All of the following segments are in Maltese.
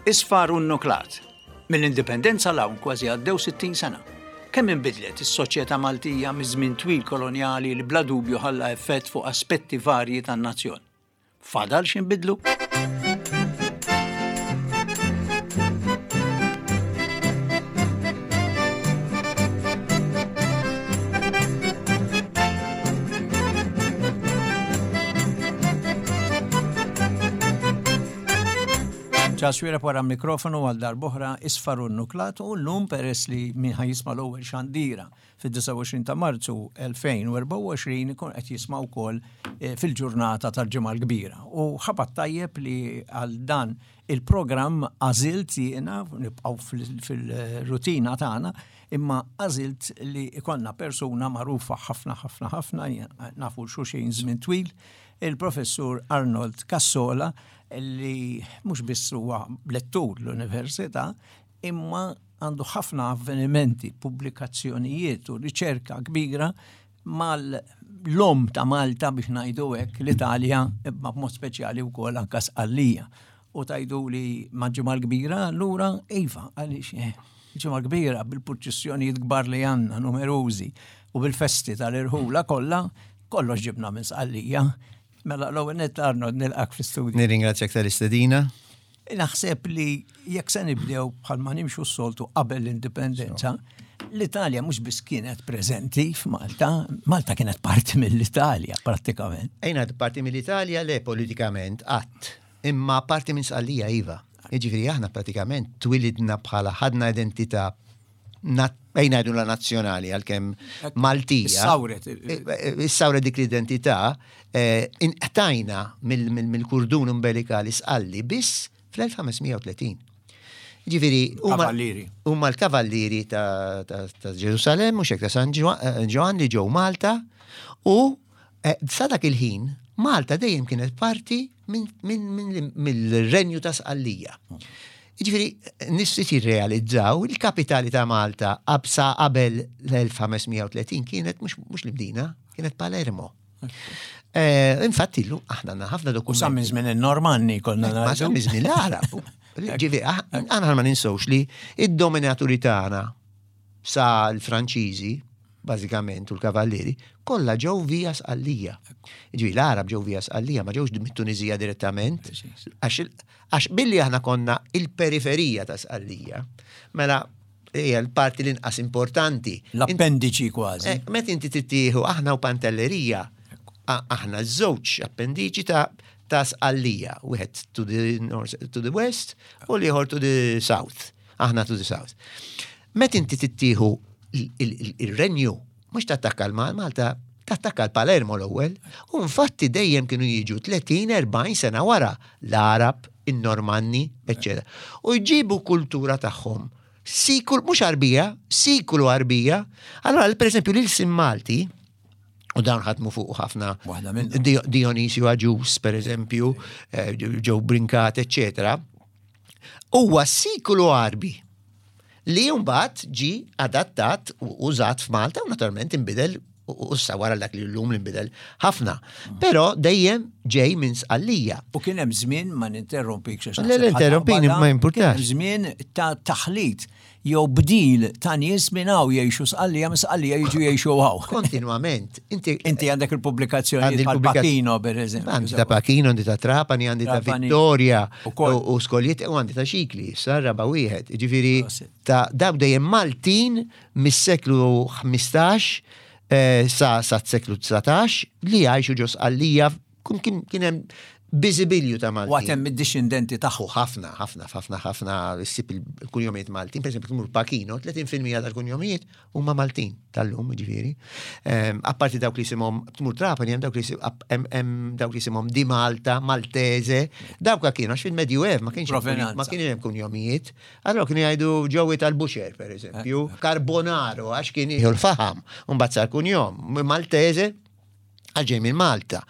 Isfar u nnuklat. Mill-Indipendenza 'l hawn kważi għaddew 60 sena. Kemm inbidlet is-soċjetà Maltija miż-żmien twil kolonjali li bla dubju ħalla effett fuq aspetti varji tan-nazzjon. Fadal x'inbidlu? Charles Xuereb wara mikrofonu għal darb'oħra isfar u nuklat u llum peress li min ħa jisma' l-ewwel xandira fid-29 ta' Marzu 2024 ikun qed jisma' wkoll eh, fil-ġurnata tal-Ġimgħa l-Kbira. U ħabat tajjeb li għal dan il-programm għażilt jiena nibqgħu fil-rutina tagħna imma għażilt li ikollna persuna magħrufa ħafna ħafna ħafna nafu xulxin żmien twil il-professur Arnold Cassola li mhux biss huwa lettur l-università, imma għandu ħafna avvenimenti, pubblikazzjonijiet u riċerka kbira mal-lom ta' Malta biex ngħidu hekk l-Italja imma b'mod speċjali wkoll anka Sqallija. U tajdu li ma' ġimgħa kbira allura iva għaliex eh, ġimgħa kbira bil-purċissjonijiet kbar li għandna numerużi u bil-festi tal-irħula kollha kollox ġibna minn Sqallija. Mela l-ewwel nett Arnold nilqak fl-istudju. Nirringrazzjak tal-istedina. Naħseb li jekk se nibdew bħalma nimxu s-soltu qabel l-indipendenza, l-Italja mhux biss kienet preżenti f'Malta, Malta kienet parti mill-Italja prattikament. Ejna parti mill-Italja le politikament qatt, imma parti minn Sqallija iva. Jiġifieri aħna pratikament twilidna bħala ħadna identità ejna ngħidu la nazzjonali għalkemm Maltija. Issawret. Issawret dik l-identità, eh, inqtajna mill-kurdun umbilikali sqalli biss fl-1530. Ġifieri, huma l-kavallieri ta' Ġerusalem, mhux hekk ta' San Ġwann li ġew Malta u eh, sa dak il-ħin Malta dejjem kienet parti mill-renju ta' Sqallija. Jiġifieri nies ftit jirrealizzaw il-kapitali ta' Malta sa qabel l-1530 kienet mhux l-Imdina, kienet Palermo. Eh, infatti illum aħna għandna ħafna dokumenti. U sa minn żmien in-Normanni konna Ma sa minn żmien l-Arab. Ġifieri aħna ma ninsewx li id-dominaturi tagħna sa l-Franċiżi bażikament u l-kavallieri, kollha ġew via Sqallija. Ġifieri l-Arab ġew via Sqallija, ma ġewx mit-Tuniżija direttament, għax billi aħna konna il-periferija ta' Sqallija, mela hija l-parti l-inqas importanti. L-appendiċi kważi. Eh, meta inti tittieħu aħna u Pantellerija, aħna żewġ appendiċi ta' ta' Sqallija, wieħed to the north, to the west u l-ieħor to the south. Aħna to the south. Meta inti tittieħu il-renju, mhux tattakka l-Malta, tattakka l-Palermo l-ewwel, u infatti dejjem kienu jiġu 30-40 sena wara l-Arab, in-Normanni, eċċetera. U jġibu kultura tagħhom. Sikul, mhux Arbija, sikulu Arbija. Allora, per eżempju, l-ilsim Malti, u dawn ħadmu fuq ħafna Dionisio Agius, per eżempju, eh, Joe Brincat, eccetera, huwa sikulu Arbi li mbagħad ġi adattat u użat f'Malta u naturalment inbidel u issa wara dak li llum li nbidel ħafna. Però dejjem ġej minn Sqallija. U kien hemm żmien ma ninterrompik xi Le, interrompini ma jimpurtax. Żmien ta' taħlit jew bdil ta' nies minn hawn jgħixu Sqallija minn Sqallija jiġu jgħixu hawn. Kontinwament. Inti Inti għandek il-pubblikazzjoni tal Pachino per eżempju. Għandi ta' Pachino, għandi ta' Trapani, għandi ta' Vittoria u Skoljiet u għandi ta' Xikli, issa raba' wieħed. Ġifieri ta' daw dejjem Maltin mis-seklu 15 eh, sa sa seklu 19 li jgħixu ġo Sqallija kien hemm biżibilju ta' Maltin. U għatem id-dixxendenti tagħhom. Ħafna, ħafna, ħafna, ħafna ssib il-kunjomijiet Maltin. Per eżempju, tmur Pachino, 30% tal-kunjomijiet huma Maltin tal-lum, ġifieri. Ehm, apparti dawk li jisimhom tmur Trapani, hemm dawk li dawk li jisimhom di Malta, Maltese, dawk kienu għax fil-Medjuev ma kienx ma kienx hemm kunjomijiet. Allora kienu jgħidu ġewwi tal-Buxer, per eżempju, eh. Carbonaro għax kien jieħu l-faħam, u mbagħad sar kunjom, Maltese għal ġej minn Malta.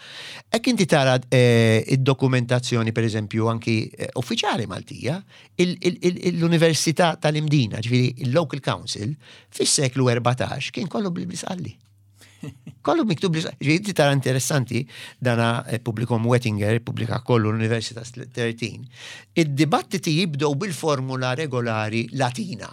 Hekk inti tara eh, id-dokumentazzjoni, per eżempju, anki eh, uffiċjali Maltija, l-Università tal-Imdina, ġifieri il-Local Council, fis-seklu 14 kien kollu bil-Bisqalli. Kollu miktub li ġifieri tara interessanti dana eh, pubblikom Wettinger, pubblika kollu l-Universitas 13. Id-dibattiti jibdew bil-formula regolari Latina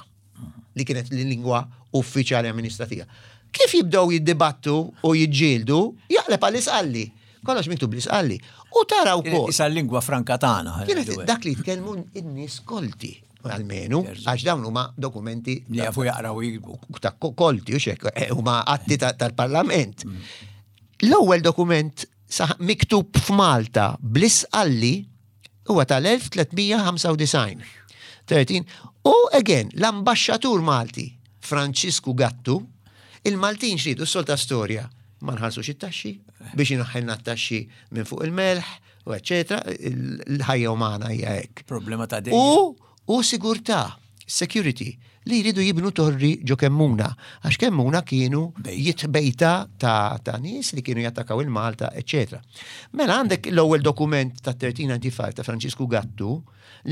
li kienet l-lingwa uffiċjali amministrativa. Kif jibdew jiddibattu u jiġġieldu, jaqleb għall-isqalli. Kollox miktub bl-isqalli. U tara wkoll. Isa l-lingwa franka tagħna. Kienet dak li jitkellmu n-nies kolti almenu, għax dawn huma dokumenti. Li jafu jaqraw jiktbu. Ta' kolti, u xek, eh, huma atti tal-parlament. Mm. L-ewwel dokument miktub f'Malta bl-isqalli huwa tal-1395. 13. U again, l-ambaxxatur Malti, Francisku Gattu, il-Maltin xridu s-solta storja, ma nħallsux it-taxxi biex inaħħelna t-taxxi minn fuq il-melħ, u eccetera, l-ħajja umana hija hekk. Problema ta' dejjem. U u sigurtà, security, li jridu jibnu torri ġo Kemmuna, għax Kemmuna kienu jitbejta ta', ta nies li kienu jattakaw il-Malta, eccetera. Mela għandek l-ewwel dokument ta' 1395 ta' Francisku Gattu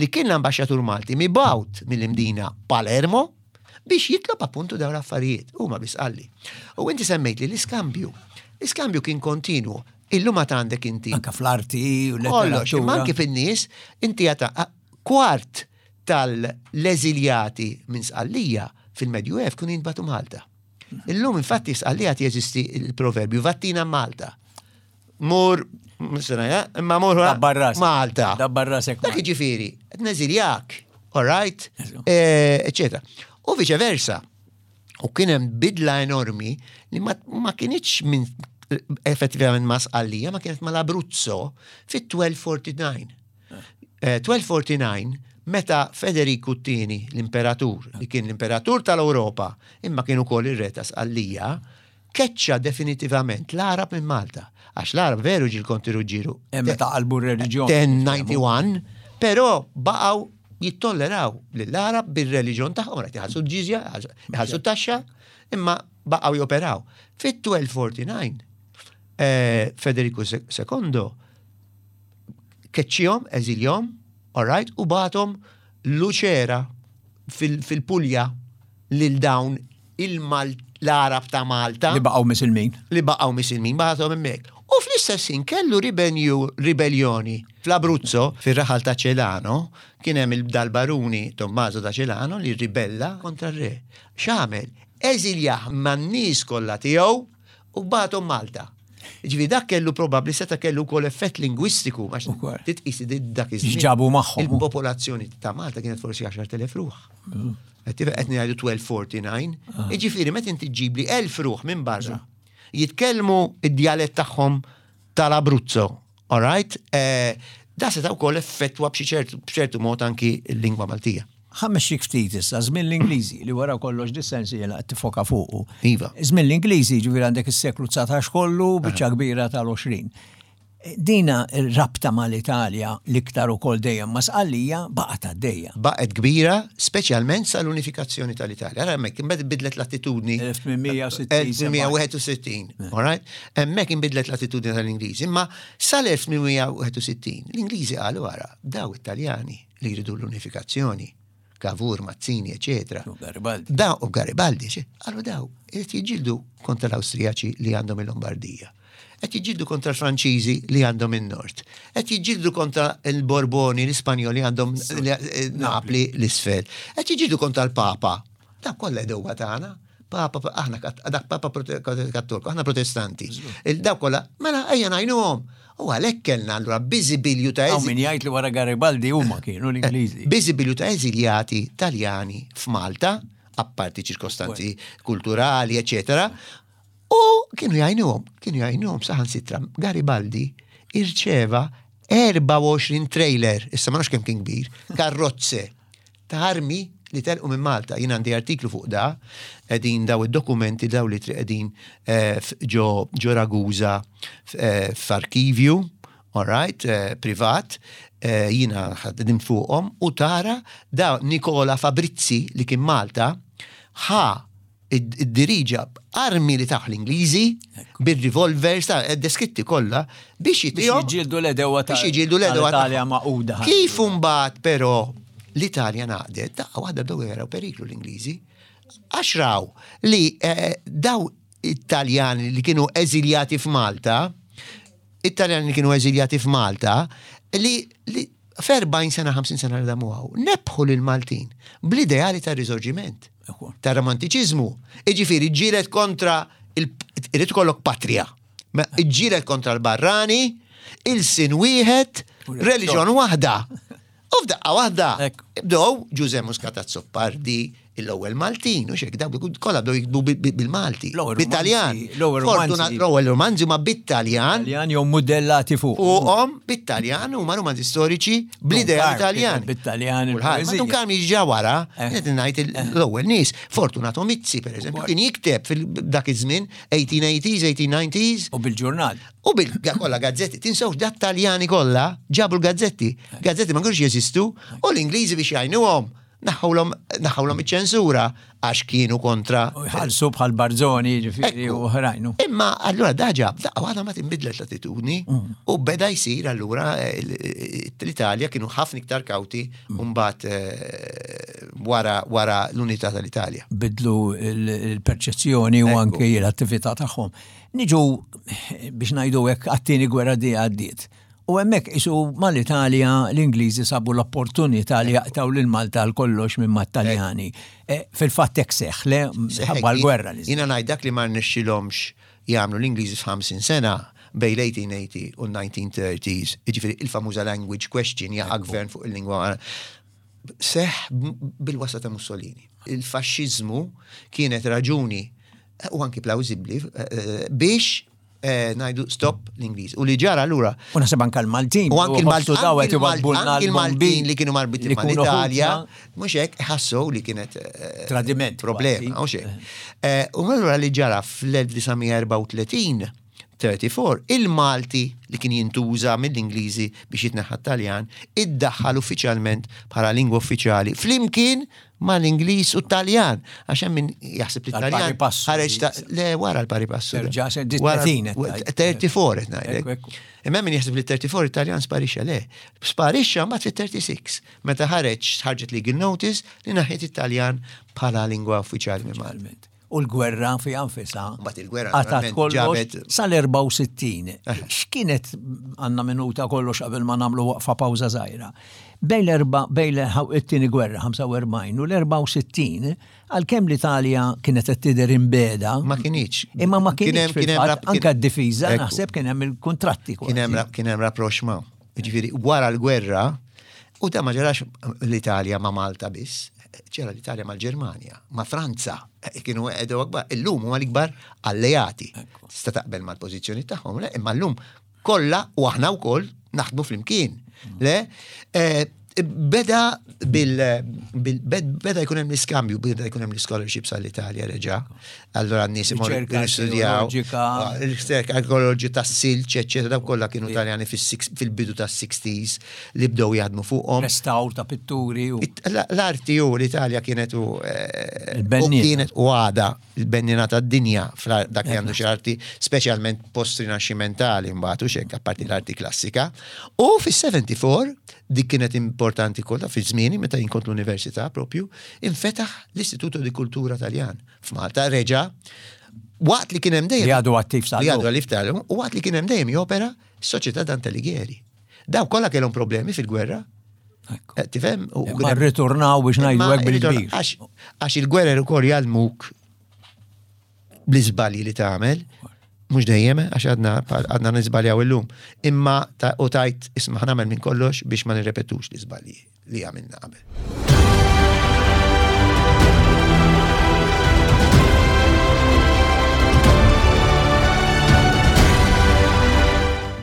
li kien l-ambaxxatur Malti mibgħut mill-Imdina Palermo biex jitlob appuntu dawn l-affarijiet. Huma biss qalli. U inti semmejt li l-iskambju. L-iskambju kien kontinwu. Illum għad għandek inti. Anka fl-arti u Kollox, l-letteratura. imma anki fin-nies, inti għata kwart tal-eżiljati minn Sqallija fil-Medjuev kienu jintbagħtu Malta. Illum infatti Sqallija jeżisti il-proverbju vattina Malta. Mur, sena, imma mur Dabbar rasek. Malta. Dabbar rasek. Dak jiġifieri, qed neżiljak, all right, eccetera. U vice versa. U kien hemm bidla enormi li ma, ma kienitx minn effettivament ma Sqallija, ma kienet mal-Abruzzo fit-1249. 1249, eh, meta Federiku II, l-imperatur, li kien l-imperatur tal-Ewropa, imma kien ukoll ir-re ta' Sqallija, keċċa definitivament l-Arab minn Malta. Għax l-Arab veru ġil konti Ruġġieru. Hemm meta qalbu r-reliġjon. 1091, però baqgħu jittolleraw lill-Arab bir-reliġjon tagħhom, qed iħallsu l-ġiżja, iħallsu t-taxxa, imma baqgħu joperaw. Fit-1249, eh, Federico II keċċihom, eżiljhom, all right, u bagħathom Lucera fil-Pulja lil dawn l-Arab ta' Malta. Li baqgħu misilmin. Li baqgħu misilmin, bagħathom hemmhekk. U fl-istess ħin kellu ribellioni fl-Abruzzo, fir-raħal ta' Celano, kien hemm dal-baruni Tommaso da Celano li ribella kontra r-re. X'għamel? Eżiljah man-nies kollha tiegħu u bagħathom Malta. Ġifieri dak kellu probabbli seta' kellu wkoll effett lingwistiku għax titqis dak iż-żmien. X'ġabu magħhom. Il-popolazzjoni ta' Malta kienet forsi 10,000 ruħ. Qed ngħidu 1249. Ah. Jiġifieri meta inti ġġibli 1000 ruħ minn barra jitkellmu id-djalett tagħhom tal-Abruzzo, all right? Eh, da seta' wkoll effettwa b'xi mod anki l-lingwa Maltija. Ħammexxik ftit issa, żmien l-Ingliżi li wara kollox dis-sensi jiena qed tifoka fuqu. Iva. Żmien l-Ingliżi, ġifieri għandek is-seklu 19 kollu, biċċa kbira tal-20. Dina r-rabta mal-Italja l-iktar ukoll dejjem ma' Sqallija baqgħet għaddejja. Baqgħet kbira, speċjalment sal-unifikazzjoni tal-Italja. Ara hemmhekk imbagħad inbidlet l-attitudni. 1861. 1861, all right? Hemmhekk inbidlet l-attitudni tal-Ingliżi, imma sal-1861 l-Ingliżi qalu ara, daw it-Taljani li jridu l-unifikazzjoni, Cavour, Mazzini, eccetera. U Garibaldi. Da, u Garibaldi, għallu daw, qed jiġġieldu kontra l-Awstrijaċi li għandhom il-Lombardija. Qed jiġġieldu kontra l-Franċiżi li għandhom in-Nord. Qed jiġġieldu kontra l-Borboni, l-Ispanjoli għandhom eh, Napli l-isfel. Qed jiġġieldu kontra l-Papa. Dak kollha dewwa tagħna. Papa, aħna dak Papa Kattoliku, aħna Protestanti. Il-daw kollha, mela ejja ngħinuhom. U għalhekk kellna allura biżibilju ta' Hawn min jgħid li wara Garibaldi huma kienu l-Ingliżi. Biżibilju ta' eżiljati Taljani f'Malta, apparti ċirkostanzi kulturali, eċetera. U kienu jgħinuhom, kienu jgħinuhom saħansitra Garibaldi irċeva 24 trailer, issa ma nafx kemm kien kbir, karrozze ta' armi li telqu minn Malta. Jien għandi artiklu fuq da, qegħdin daw id-dokumenti daw li qegħdin eh, ġo ġo Ragusa eh, f'arkivju, all right, eh, privat, jiena ħaddim fuqhom u tara da Nikola Fabrizzi li kien Malta ħa iddiriġa armi li taħ l-Ingliżi bir-revolvers ta' eh, deskritti kollha biex jitihom. Biex jiġġieldu l-edewa ta' biex jiġġieldu l-edewa tal-Italja maquda. Kif imbagħad però l-Italja ngħaqdet, daqqa waħda bdew jaraw periklu l-Ingliżi. Għax raw li eh, daw Italjani li kienu eżiljati f'Malta, Italjani li kienu eżiljati f'Malta, li, li f'40 sena, 50 sena li damu hawn, nebħu lil Maltin bl-ideali ta' risorġiment, ta' romantiċiżmu. Iġifieri ġġieled kontra irid ikollok patrija. Iġġieled kontra l-barrani, ilsien wieħed, reliġjon waħda. U f'daqqa waħda, bdew Ġuże Muscat Azzopardi, l-ewwel Maltin, u xek, dawk kollha bdew jiktbu bil-Malti, bit-Taljan. L-ewwel romanzi ma bit-Taljan. Taljan jew mudellati fuq. Fuqhom bit-Taljan huma romanzi storiċi bl-idea Taljan. Bit-Taljan. Dun Karm jiġi wara, eh. qed ngħid l-ewwel nies. Fortunato Mizzi, pereżempju, kien jikteb fil-dak iż-żmien 1880s, 1890s. U bil-ġurnal. U bil kollha gazzetti, tinsewx dat Taljani kollha ġabu l-gazzetti. Gazzetti ma kienux jeżistu u l-Ingliżi biex jgħinuhom naħħulhom naħħulhom iċ-ċensura għax kienu kontra. U jħallsu bħal Barzoni ġifieri u oħrajn. Imma allura da ġab, daqqa waħda ma tinbidlet l-attitudni mm. u beda jsir allura eh, l-Italja kienu ħafna iktar kawti mm. mbagħad eh, wara wara l-unità tal-Italja. Bidlu l-perċezzjoni u anke l-attività tagħhom. Niġu biex ngħidu hekk għat-tieni gwerra di għaddiet. U hemmhekk isu mal-Italja l-Ingliżi sabu l-opportunità li jaqtaw lil Malta għal kollox minn mat-Taljani. E, fil-fatt hekk seħħ, le ħabba l-gwerra li. Jiena ngħid dak li ma rnexxilhomx jagħmlu l-Ingliżi f'50 sena bejn l-1880 u l-1930s, jiġifieri il-famuża language question jaqa' gvern fuq il-lingwa seħħ bil-wasla ta' Mussolini. Il-faxxiżmu kienet raġuni u anki plawzibbli eh, biex eh, ngħidu stop l-Ingliż. U li ġara allura. U naħseb anke l-Maltin. U anki l-Maltin l-Maltin li kienu marbutin mal-Italja, mhux hekk ħassu li kienet eh, tradiment problema, mhux hekk. U allura li ġara fl-1934 34, il-Malti li kien jintuża mill-Ingliżi biex jitneħħa t-Taljan, iddaħħal uffiċjalment bħala lingwa uffiċjali flimkien mal-Ingliż u t-Taljan. Għax hemm min jaħseb li t-Taljan ħareġ ta' le wara l-pari passu. 34 qed ngħidlek. Imma min jaħseb li 34 it-Taljan sparixxa le. Sparixxa mbagħad fit-36 meta ħareġ ħarġet legal notice li naħiet it-Taljan bħala lingwa uffiċjali minn Malta. U l-gwerra fiha nfisha. Mbagħad il-gwerra qatgħet kollox sal-64. Eh. X'kienet għandna minuta kollox qabel ma nagħmlu waqfa pawża żgħira. Bejn l-erba' bejn it-tieni gwerra 45 u l-64 għalkemm l-Italja kienet qed tidher imbeda. Ma kinitx. Imma ma kinitx anke d-difiża naħseb kien hemm il-kuntratti. Kien hemm rapproxma. Ġifieri wara l-gwerra, u da ma ġarax l-Italja ma' Malta biss, ġara l-Italja mal-Ġermanja, ma' Franza, eh, kienu għedu akbar, illum huma l-ikbar alleati. Tista' taqbel mal-pożizzjoni tagħhom, le, imma llum kollha u aħna wkoll naħdmu flimkien. Mm. Le, eh, beda bil, beda jkun hemm l-iskambju, beda jkun hemm l-scholarships għall-Italja reġa'. Allura n-nies imorru jistudjaw. Riċerka arkeoloġi tas-silġ, eċċetera, dawk kollha kienu Taljani fil-bidu tas-60s li bdew jaħdmu fuqhom. Restawr ta' pitturi u. L-arti u l-Italja kienet u eh, kienet u għada il-bennina tad-dinja dak li għandu xi arti, speċjalment post-rinaxximentali mbagħad u xek apparti l-arti klassika. U fis-74 dik kienet importanti kollha fi żmieni meta jien kont l-università propju, infetaħ l-Istituto di Kultura Taljan f'Malta reġa' waqt li kien hemm dejjem. Li għadu attiv sa. Li għadu attiv tal u waqt li kien hemm dejjem jopera s-Soċjetà Dante Alighieri. Daw kollha kellhom problemi fil-gwerra. Eh, tifhem? Ma rritornaw biex ngħidu hekk bil-kbir. Għax il-gwerer ukoll jgħallmuk bl-iżbalji li tagħmel, mhux dejjem, għax għadna għadna niżbaljaw illum, imma u tajt isma' nagħmel minn kollox biex ma nirrepetux l-iżbalji li għamilna qabel.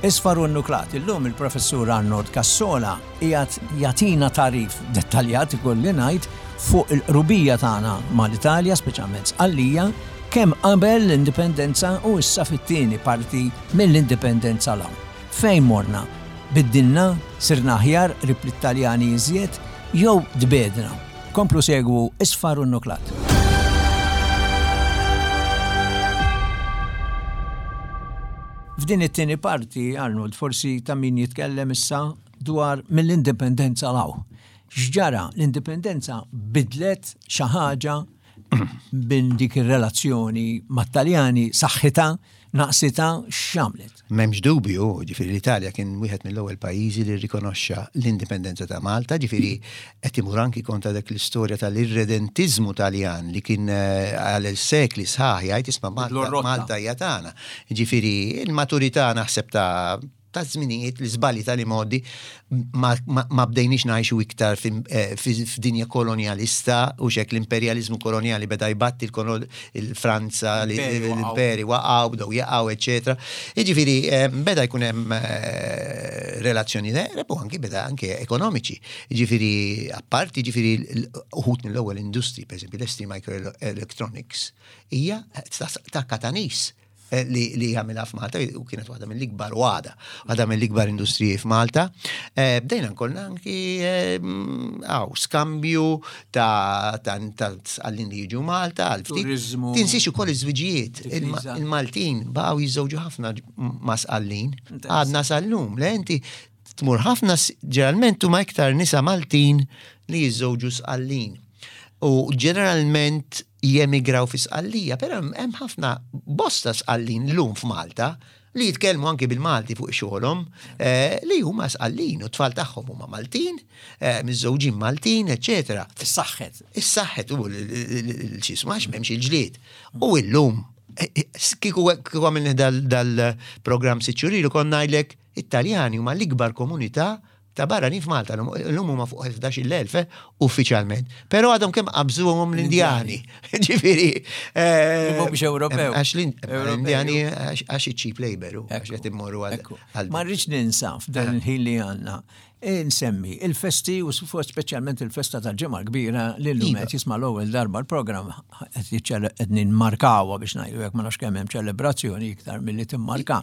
Isfar u nuklat, illum il-professur Arnold Cassola qiegħed jagħtina tagħrif dettaljat ikolli ngħid fuq il-qrubija tagħna mal-Italja, speċjalment Sqallija, kemm qabel l-indipendenza u issa fit-tieni parti mill-indipendenza 'l hawn. Fejn morna? Biddilna? Sirna aħjar qrib lit-Taljani iżjed? Jew tbiegħdna? Komplu segwu Isfar u Nnuklat. F'din it-tieni parti, Arnold, forsi ta' min jitkellem issa dwar mill-indipendenza 'l hawn. X'ġara? L-indipendenza bidlet xi ħaġa bin dik ir-relazzjoni mat-Taljani saħħitha, naqsitha, x'għamlet? M'hemmx dubju, ġifieri l-Italja kien wieħed mill-ewwel pajjiżi li rrikonoxxa l-indipendenza ta' Malta, ġifieri qed imur anki kontra dak l-istorja tal-irredentiżmu Taljan li kien eh, għal sekli sħaħ jgħid isma' Malta Malta hija tagħna. Ġifieri il-maturità naħseb ta' ta' żminijiet l-iżbalji tal-imgħoddi ma, ma, ma bdejniex ngħixu iktar eh, f'dinja kolonjalista u xek l-imperjaliżmu kolonjali beda jbatti il-Franza, l-imperi waqgħu, bdew jaqgħu, eċetera. Jiġifieri eh, beda jkun hemm eh, relazzjoni u anki beda anke ekonomiċi. Jiġifieri apparti jiġifieri uħut mill-ewwel industri, pereżempju l-ST Microelectronics, hija ta' Katanis Eh, li, li għamilha f'Malta u kienet waħda mill-ikbar u għada, waħda mill-ikbar industriji f'Malta. Eh, bdejna nkollna anki eh, għaw, skambju ta' għallin li jiġu Malta, għal ftit. Tinsiex ukoll iż-żwiġijiet. Il-Maltin baqgħu jiżżewġu ħafna ma' sqallin. Għadna sal-lum, le inti tmur ħafna ġeneralment huma iktar nisa Maltin li jiżżewġu sqallin. U ġeneralment jemigraw fi Sqallija, però hemm ħafna bosta Sqallin llum f'Malta li jitkellmu anki bil-Malti fuq xogħolhom eh, li huma Sqallin u t-tfal tagħhom huma Maltin, eh, miżżewġin Maltin, eċetera. Is-saħħet. Is-saħħet u l-xismu għax m'hemmx il-ġlied. U llum eh, kieku għamilni dal-programm siċċurilu konna ngħidlek it-Taljani huma l-ikbar komunità ta' barranin f'Malta, l-lum huma fuq 11,000 eh, uffiċjalment. Però għadhom kemm qabżuhom l-Indjani. Ġifieri. Eh, mhumiex Ewropew. Għax l-Indjani għax cheap labor, għax qed immorru għal. Ma rridx ninsa f'dan eh. il-ħin li għandna. Insemmi il-festi u speċjalment il-festa tal-ġimgħa kbira li llum iva. qed jisma' l-ewwel darba l-programm qed ninmarkawha biex ngħidu jekk ma nafx kemm hemm ċelebrazzjoni iktar milli timmarka.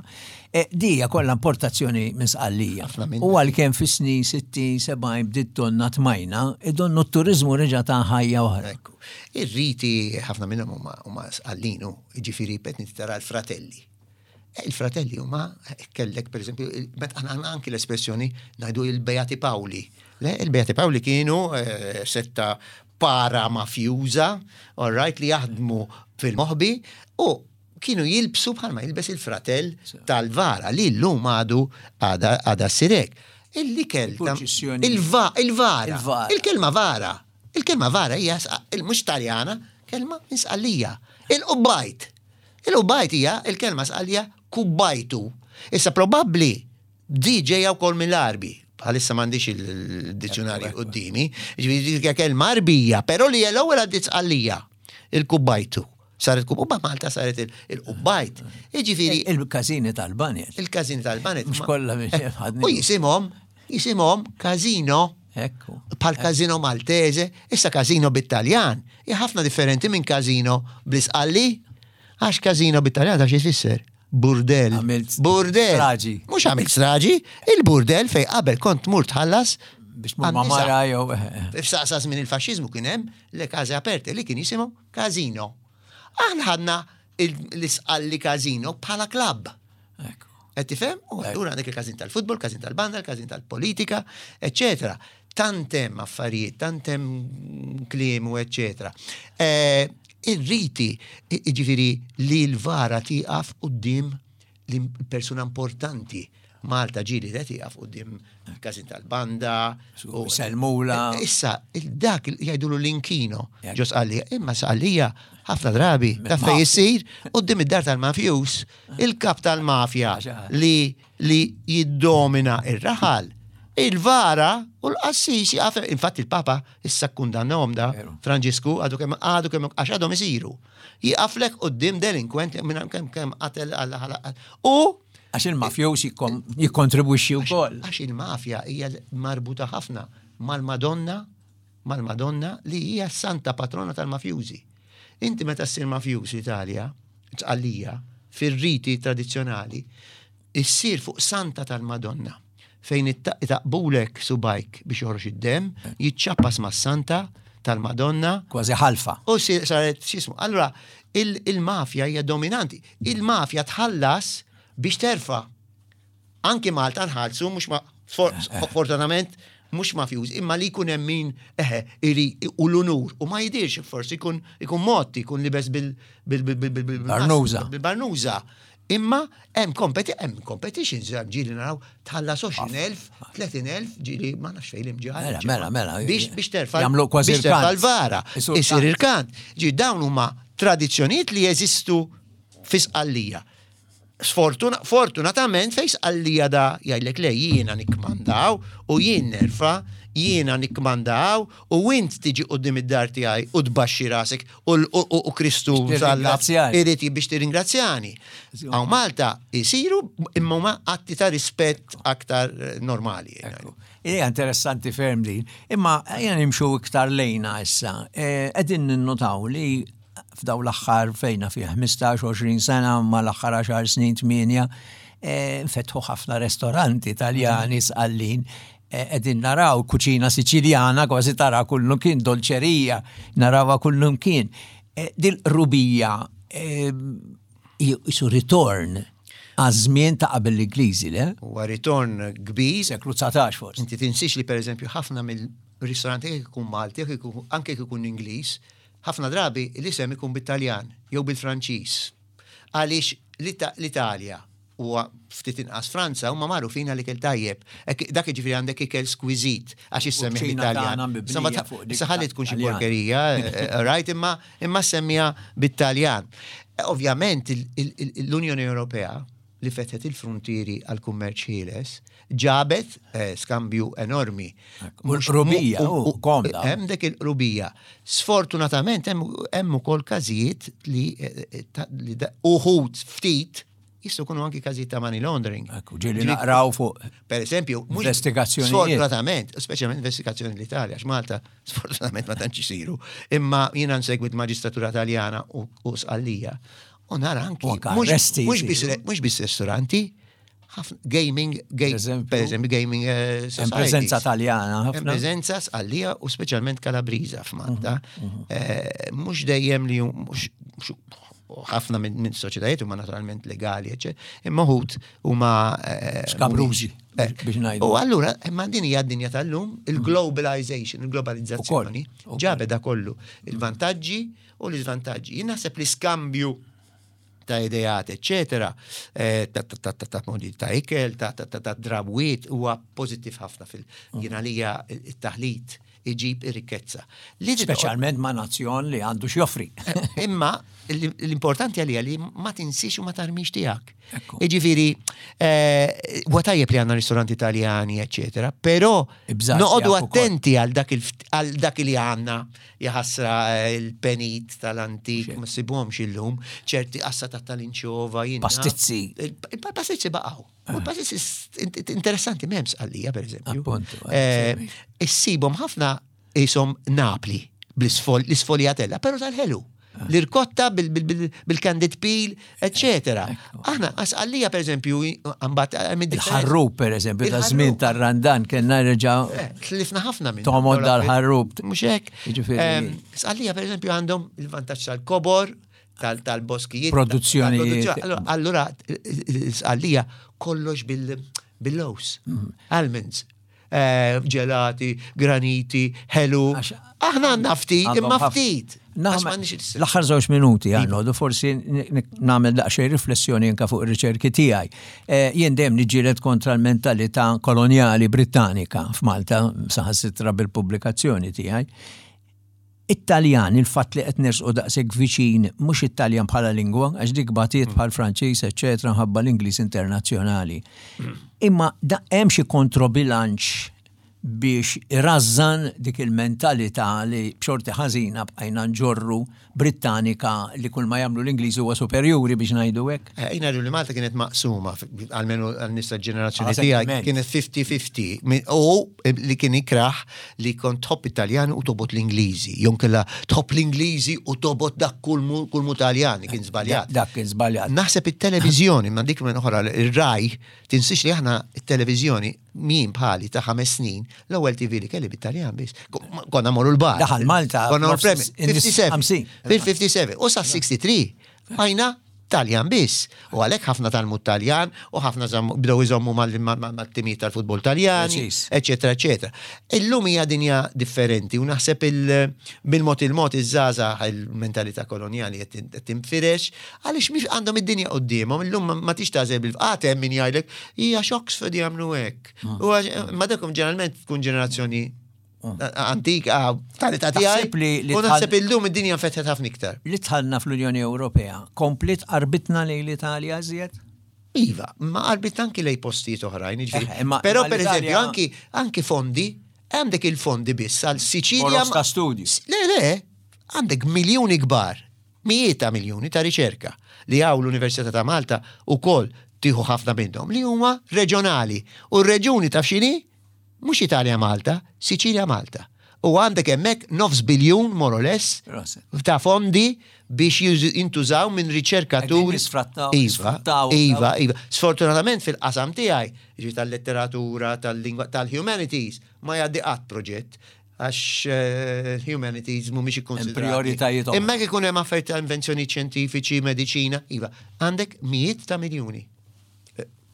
E, di hija kollha importazzjoni minn Sqallija. U għalkemm fis-snin 60, 70 bdiet donna tmajna, idonnu t-turiżmu reġa' ta' ħajja oħra. Ekku. Ir-riti ħafna minnhom huma Sqallin, jiġifieri qed tara l-fratelli. E, il-fratelli huma e, kellek pereżempju, meta aħna anki l-espressjoni ngħidu il-Beati Paoli. Le, il-Beati Paoli kienu setta para mafjuża, all right, li jaħdmu fil-moħbi u kienu jilbsu bħalma jilbes il-fratell tal-vara li llum għadu għada sirek. Il-ikel il-vara. Il-kelma vara. Il-kelma vara hija mhux Taljana, kelma insqallija. Il-qubbajt. Il-qubbajt hija il-kelma sqallija kubbajtu. Issa probabbli di ġejja wkoll mill-Għarbi. Bħalissa m'għandix il-dizzjonarju qudiemi. Ġifieri kelma Għarbija, però li l-ewwel għaddiet sqallija. Il-kubbajtu. Saret kubbajt, Malta saret il-qubbajt. Jiġifieri. Il-każini tal-banet. Il-każini tal-banet. Mhux kollha eh, U jisimhom, jisimhom każino. Ekku. Bħal każino Maltese, issa każino bit-Taljan. Hija ħafna differenti minn każino bl-Isqalli. Għax każino bit-Taljan ta' xi jfisser? Burdel. Burdel. Straġi. Mhux għamilt straġi, il-burdel fej qabel kont tmur tħallas biex tmur ma' mara jew. F'saqsa żmien il-faxxiżmu kien hemm le case aperte li kien jisimhom Casino. Aħna ħadna l-isqalli casino bħala klabb. Qed tifhem? U allura għandek il-każin tal-futbol, każin tal-banda, il-każin tal-politika, eċetera. Tant hemm affarijiet, tant hemm kliem u eċetera. Eh, ir-riti, jiġifieri li l-vara tieqaf quddiem l-persuna importanti. Malta ġili qed jaqaf quddiem każin tal-banda. U selmula. E, issa, dak jgħidulu l-inkino, ġo sqallija, imma sqallija ħafna drabi, ta' fej jissir, quddiem id-dar tal-mafjus, il-kap tal-mafja li li jiddomina ir-raħal, il-vara u l-qassis jaqaf. Infatti il-Papa issa kkundannahom da, Franġisku, għadu kemm għadu kemm għax għadhom isiru. Jiqaflek quddiem delinkwent minn kemm kemm qatel għal U Għax il-mafjus jikkontribwixxi wkoll. Għax il-mafja hija marbuta ħafna mal-Madonna, mal-Madonna li hija s-santa patrona tal-mafjużi. Inti meta ssir mafjuż l-Italja, Sqallija, fir-riti tradizzjonali, issir fuq santa tal-Madonna fejn itaqbulek subajk biex joħroġ id-demm, jiċċappas mas-santa tal-Madonna. Kważi ħalfa. U saret x'ismu. Allura il-mafja hija dominanti. Il-mafja tħallas biex terfa'. Anki Malta nħallsu mhux ma fortunatament mhux mafjuż, imma li jkun hemm min eħe iri u l-unur u ma jidirx forsi jkun ikun motti, jkun libes bil bil bil bil bil Barnuża. Bil-barnuża. Imma hemm kompeti hemm competitions ġieli naraw tħallas 20,000, 30,000 ġieli ma nafx fejn l-imġarr. Mela, mela, mela. Biex biex terfa' Jagħmlu kważi biex terfa' irkant. l-vara. Isur Isir irkant. irkant. Ġi dawn huma tradizzjonijiet li jeżistu fi Sqallija. Sfortuna, fortunatament fej Sqallija da jgħidlek le jiena nikkmandaw u jien nerfa, jiena nikkmandaw u int tiġi quddiem id-dar tiegħi u tbaxxi rasek u, u, u, u Kristu Biex msallab tirringrazzjani. irid biex tirringrazzjani. Hawn Malta jisiru imma huma atti ta' rispett aktar eh, normali. Ekku. Hija interessanti ferm din. Imma ejja nimxu iktar lejna issa. Qegħdin ninnotaw li f'daw l-aħħar fejna fi 15-20 sena ma l-aħħar 10 snin 8 nfetħu ħafna restoranti Taljani sqallin. Qegħdin naraw kuċina Siċiljana kważi tara kullum kien dolċerija, narawha kullum kien. Dil-qrubija jisu ritorn għaż-żmien ta' qabel l-Ingliżi, le? Huwa ritorn kbir. Seklu 19 forsi. Inti tinsiex li pereżempju ħafna mill-ristoranti jekk ikun Malti, jekk ikun anke jekk ikun Ingliż, ħafna drabi l-isem ikun bit-Taljan jew bil-Franċiż. Għaliex l-Italja u ftit inqas Franza huma magħrufin għal ikel tajjeb. Dak jiġifieri għandek ikel skwiżit għax issemmih Kuċina bit-Taljan. tagħna mibnija Insomma, fuq dik issa ħalli tkun xi Taljan. porkerija, right, imma imma semmija bit-Taljan. Ovvjament l-Unjoni Ewropea li fetħet il-frontieri għal kummerċ ħieles ġabet skambju enormi. U l-qrubija, u komda. Hemm dik il-qrubija. Sfortunatament hemm ukoll każijiet li, li uħud ftit jistgħu jkunu anki każijiet ta' money laundering. Ekku, ġieli naqraw fuq Per eżempju, mhux- investigazzjonijiet. Sfortunatament, speċjalment investigazzjoni l-Italja, għax Malta sfortunatament ma tantx isiru. Imma jiena nsegwit maġistratura Taljana u Sqallija. U nara anki U anke arresti mhux jsiru. biss mhux biss ristoranti, ħafna gaming, Per eżempju. per eżempju, gaming Hemm societies. preżenza Taljana Hemm ħafna. preżenza Sqallija u speċjalment Kalabriża f'Malta. Mhux dejjem li mhux mhux- ħafna minn soċjetajiet huma naturalment legali, eċċetera, imma wħud huma Skabrużi, mhumiex. biex ngħidu. U allura, imma din hija d-dinja tal-lum, il-globalization, il-globalizzazzjoni, Ukoll, ukoll. ġabet da kollu, il-vantaġġi u l-iżvantaġġi. Jien naħseb li skambju ta' ideat, eccetera, ta' ta' ta' ta' ta' modi ta' ikel, ta' ta' ta' ta' drawiet, huwa pożittiv ħafna fil jien għalija il-taħlit iġib ir-rikkezza. Li titqgħod- Speċjalment ma' nazzjon li għandu x'joffri. Imma l-importanti għalija li ma tinsiex u ma tarmix tiegħek. Ekku. Jiġifieri, huwa tajjeb li għandna ristoranti Italjani, eccetera, però Ibżar noqogħdu tiegħek ukoll. attenti għal dak il- għal dak li għandna jaħasra il-penit tal-antik, ma ssibhomx illum, ċerti qassa ta' tal-inċova, jiena. Pastizzi. Il-pastizzi baqgħu. U l-pastizzi interessanti m'hemmx għalija, per eżempju. Appuntu, Issibhom ħafna isom Napli bl-isfogliatella, però tal-ħelu. L-irkotta bil-candid peel, eccetera. Aħna, għalija per eżempju, għambat, Il-ħarrub, per eżempju, ta' Il-ħarrub. żmien tar-Randan kellna nerġa' Tlifna ħafna minn. Tomod dal-ħarrub. Mhux hekk. Jiġifieri- Sqallija per eżempju għandhom il-vantaġġ tal-kobor, tal-boskijiet. Produzzjonijiet. tal-produzzjoni. Allura, Sqallija kollox bil-lows, almonds, ġelati, graniti, ħelu. Għax- Aħna għandna ftit, Għandhom imma ħafna. ftit. Għax m'għandniex il- L-aħħar żewġ minuti Arnold, u forsi nagħmel daqsxejn riflessjoni anke fuq ir-riċerki tiegħi. Jien dejjem niġġieled kontra l-mentalità kolonjali Brittanika f'Malta, saħansitra bil-pubblikazzjoni tiegħi. It-Taljan, il-fatt li qed nersqu daqshekk viċin, mhux it-Taljan bħala lingwa, għax dik batiet bħal Franċiż, eċċetera, ħabba l-Ingliż internazzjonali. Imma da hemm xi kontrobilanċ biex irażżan dik il-mentalità li b'xorti ħażina bqajna nġorru Brittanika li kull ma jagħmlu l-Ingliż huwa superjuri biex ngħidu hekk. Jina li Malta kienet maqsuma, almenu għal-nisa ġenerazzjoni Ah, tiegħi, sentiment. kienet 50-50. U li kien ikraħ li kont tħobb Italjan u tobot l-Ingliżi. Jon kella tħobb l-Ingliżi u tobot dak kull mu Taljan, kien żbaljat. Dak kien żbaljat. Naħseb it-televiżjoni, ma dik minn oħra, ir-raj, tinsiex li aħna it-televiżjoni min bħali ta' 5 snin, l-ewwel TV li kelli bit-Taljan biss. Konna morru l-bar. Daħal Malta Konna morru nofs l-premi. in-nies 57. 50. Fil-57. U sa' 63. Għajna Taljan biss. U għalhekk ħafna tgħallmu t-Taljan u ħafna bdew iżommu mat-timijiet tal-futbol Taljani, eċetera, eċetera. Illum hija dinja differenti u naħseb bil-mod il-mod iż-żgħażagħ il-mentalità kolonjali qed tinfirex għaliex mhix għandhom id-dinja quddiemhom, illum ma tix tagħżel bil-fqat hemm min jgħidlek hija Oxford jagħmlu hekk. Ah. Ma dakom ġeneralment tkun ġenerazzjoni antika tal-età tiegħi. U naħseb illum id-dinja nfetħet ħafna iktar. Li dħalna fl-Unjoni Ewropea, kompliet qarbitna lejn l-Italja iżjed? Iva, ma qarbitna anki lejn postijiet oħrajn, jiġifieri. Però pereżempju anki anki fondi, għandek il-fondi biss għal Siċilja. Ta' studju. Le, le, għandek miljuni kbar, mijiet ta' miljuni ta' riċerka li hawn l-Università ta' Malta ukoll tieħu ħafna minnhom li huma reġjonali. U r-reġjuni taf x'inhi? Mhux Italja Malta, Siċilja Malta. U għandek hemmhekk nofs biljun more or less ta' fondi biex jintużaw minn riċerkaturi. Iva, iva, iva. Sfortunatament fil-qasam tiegħi, jiġifieri tal-letteratura, tal-lingwa, tal-humanities, ma jgħaddi qatt proġett għax eh, humanities mhumiex ikkonsidrati. Imma jekk ikun hemm affarijiet ta' invenzjoni ċjentifiċi, mediċina, iva, għandek mijiet ta' miljuni.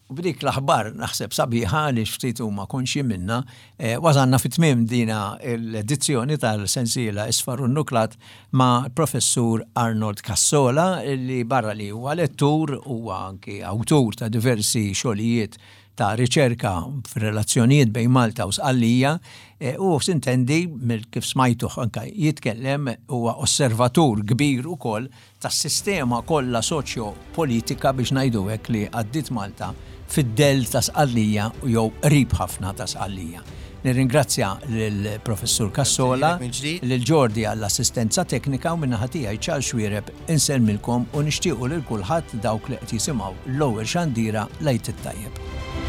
U b'dik l-aħbar naħseb sabiħa li ftit huma konxji minnha, eh, wasalna fi tmiem dina l-edizzjoni tal-sensiela Isfar u Nuklat ma' professur Arnold Cassola li barra li huwa lettur huwa anki awtur ta' diversi xogħlijiet ta' riċerka fir-relazzjonijiet bejn Malta u Sqallija eh, u sintendi mill kif smajtuh anka jitkellem huwa osservatur kbir ukoll tas-sistema kollha soċjo-politika biex ngħidu hekk li għaddiet Malta fid-dell ta' Sqallija jew qrib ħafna ta' Sqallija. Nirringrazzja lill-Professur Cassola, lil Jordi għall-assistenza teknika u min-naħa tiegħi Charles Xuereb insellmilkom u nixtiequ lil kulħadd dawk li qed jisimgħu l-ewwel xandira l-Għid it-Tajjeb.